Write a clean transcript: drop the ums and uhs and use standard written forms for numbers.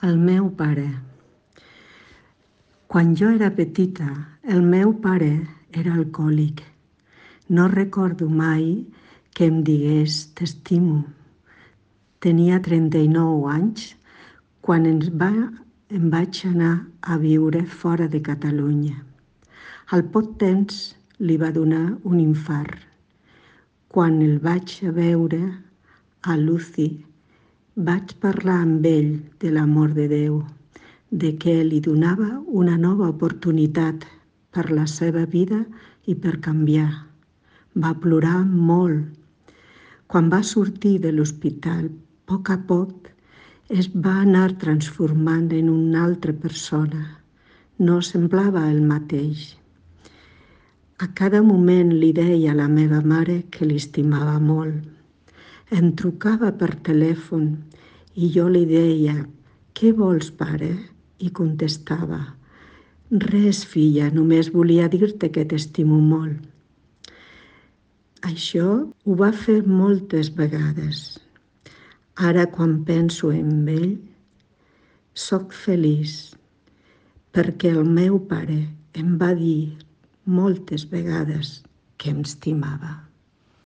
El meu pare. Quan jo era petita, el meu pare era alcohòlic. No recordo mai que em digués t'estimo. Tenia 39 anys quan em vaig anar a viure fora de Catalunya. Al poc temps li va donar un infart. Quan el vaig veure a l'UCI, vaig parlar amb ell de l'amor de Déu, de que li donava una nova oportunitat per la seva vida i per canviar. Va plorar molt. Quan va sortir de l'hospital, a poc es va anar transformant en una altra persona. No semblava el mateix. A cada moment li deia a la meva mare que l'estimava molt. Em trucava per telèfon i jo li deia «Què vols, pare?» I contestava «Res, filla, només volia dir-te que t'estimo molt». Això ho va fer moltes vegades. Ara, quan penso en ell, soc feliç perquè el meu pare em va dir moltes vegades que em estimava.